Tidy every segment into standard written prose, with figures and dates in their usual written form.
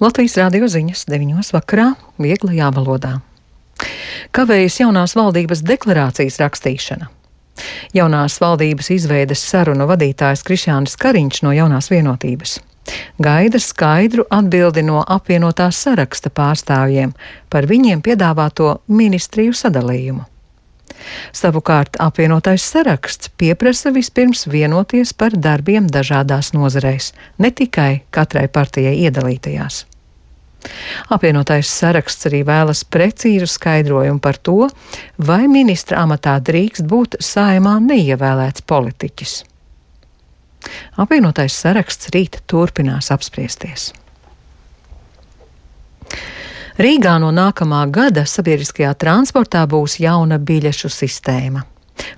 Latvijas radio ziņas 9 vakarā vieglajā valodā. Kavējas jaunās valdības deklarācijas rakstīšana. Jaunās valdības izveides sarunu vadītājs Krišjānis Kariņš no Jaunās vienotības gaida skaidru atbildi no apvienotās saraksta pārstāvjiem par viņiem piedāvāto ministriju sadalījumu. Savukārt apvienotais saraksts pieprasa vispirms vienoties par darbiem dažādās nozarēs, ne tikai katrai partijai iedalītajās. Apvienotais saraksts arī vēlas precīzu skaidrojumu par to, vai ministra amatā drīkst būt Saeimā neievēlēts politiķis. Apvienotais saraksts rīt turpinās apspriesties. Rīgā no nākamā gada sabiedriskajā transportā būs jauna biļešu sistēma.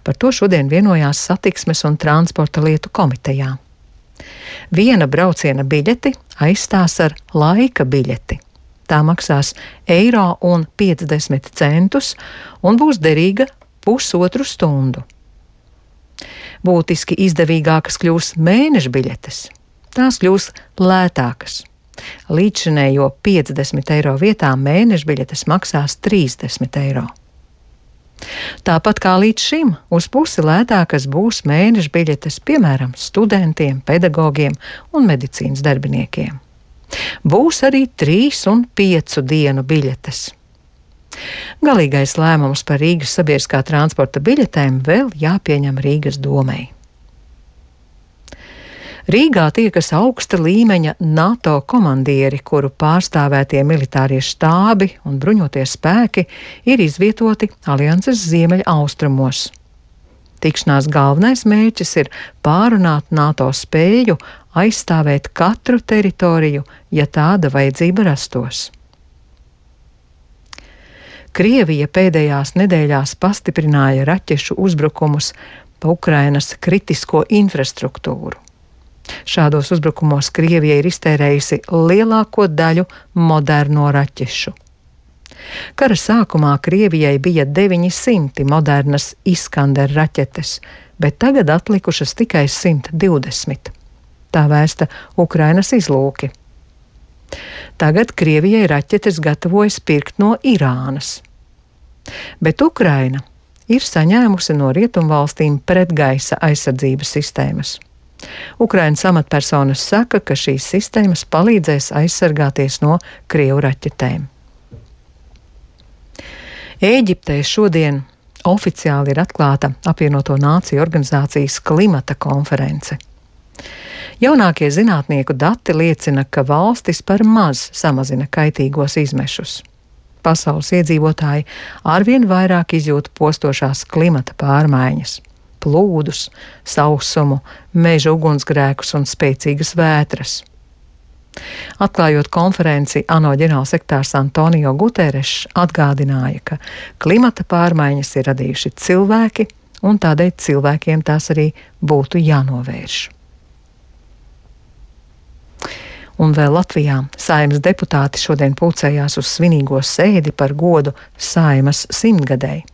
Par to šodien vienojās Satiksmes un transporta lietu komitejā. Viena brauciena biļeti aizstās ar laika biļeti. Tā maksās €1,50 un būs derīga pusotru stundu. Būtiski izdevīgākas kļūs mēneša biļetes. Tās kļūs lētākas. Līdzšinējo €50 vietā mēneša biļetes maksās €30. Tāpat kā līdz šim, uz pusi lētākas būs mēneša biļetes, piemēram, studentiem, pedagogiem un medicīnas darbiniekiem. Būs arī 3 un 5 dienu biļetes. Galīgais lēmums par Rīgas sabiedriskā transporta biļetēm vēl jāpieņem Rīgas domei. Rīgā tiekas augsta līmeņa NATO komandieri, kuru pārstāvētie militārie štābi un bruņotie spēki ir izvietoti alianses ziemeļa austrumos. Tikšanās galvenais mērķis ir pārunāt NATO spēju aizstāvēt katru teritoriju, ja tāda vajadzība rastos. Krievija pēdējās nedēļās pastiprināja raķešu uzbrukumus pa Ukrainas kritisko infrastruktūru. Šādos uzbrukumos Krievija ir iztērējusi lielāko daļu moderno raķešu. Kara sākumā Krievijai bija 900 modernas Iskander raķetes, bet tagad atlikušas tikai 120. Tā vēsta Ukrainas izlūki. Tagad Krievijai raķetes gatavojas pirkt no Irānas. Bet Ukraina ir saņēmusi no rietumvalstīm pretgaisa aizsardzības sistēmas. Ukrainas amatpersonas saka, ka šīs sistēmas palīdzēs aizsargāties no Krievu raķetēm. Ēģiptē šodien oficiāli ir atklāta apvienoto nāciju organizācijas klimata konference. Jaunākie zinātnieku dati liecina, ka valstis par maz samazina kaitīgos izmešus. Pasaules iedzīvotāji arvien vairāk izjūt postošās klimata pārmaiņas. Plūdus, sausumu, meža ugunsgrēkus un spēcīgas vētras. Atklājot konferenci, ANO ģenerālsekretārs Antonio Guterres atgādināja, ka klimata pārmaiņas ir radījuši cilvēki, un tādēļ cilvēkiem tās arī būtu jānovērš. Un vēl Latvijā Saeimas deputāti šodien pulcējās uz svinīgo sēdi par godu Saeimas 100-gadēji.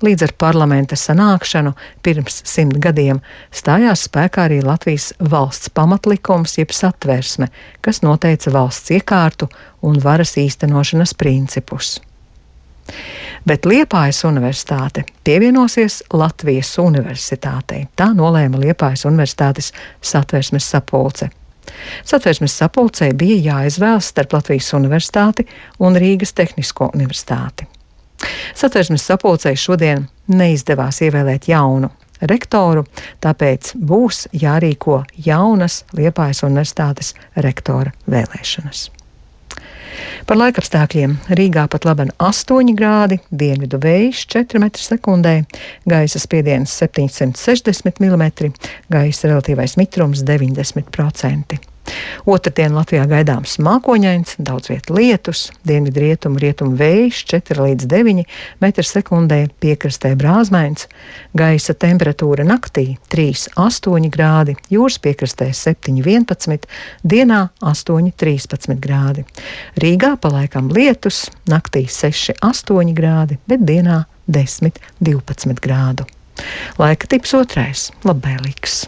Līdz ar parlamenta sanākšanu pirms 100 gadiem stājās spēkā arī Latvijas valsts pamatlikums jeb satversme, kas noteica valsts iekārtu un varas īstenošanas principus. Bet Liepājas universitāte pievienosies Latvijas universitātei. Tā nolēma Liepājas universitātes satversmes sapulce. Satversmes sapulcei bija jāizvēlas starp Latvijas universitāti un Rīgas Tehnisko universitāti. Satversmes sapulcei šodien neizdevās ievēlēt jaunu rektoru, tāpēc būs jārīko jaunas Liepājas universitātes rektora vēlēšanas. Par laikapstākļiem Rīgā pat laban 8 grādi, dienvidu vējš 4 m/sekundē, gaisa spiediens 760 mm, gaisa relatīvais mitrums 90%. Otrdien Latvijā gaidāms mākoņains, daudz viet lietus, dienvidu rietumu vējš 4 līdz 9 m/sekundē, piekrastē brāzmains, gaisa temperatūra naktī 3,8 grādi, jūras piekrastē 7,11, dienā 8,13 grādi. Rīgā palaikam lietus, naktī 6,8 grādi, bet dienā 10,12 grādu. Laika tips 2. labvēlīgs.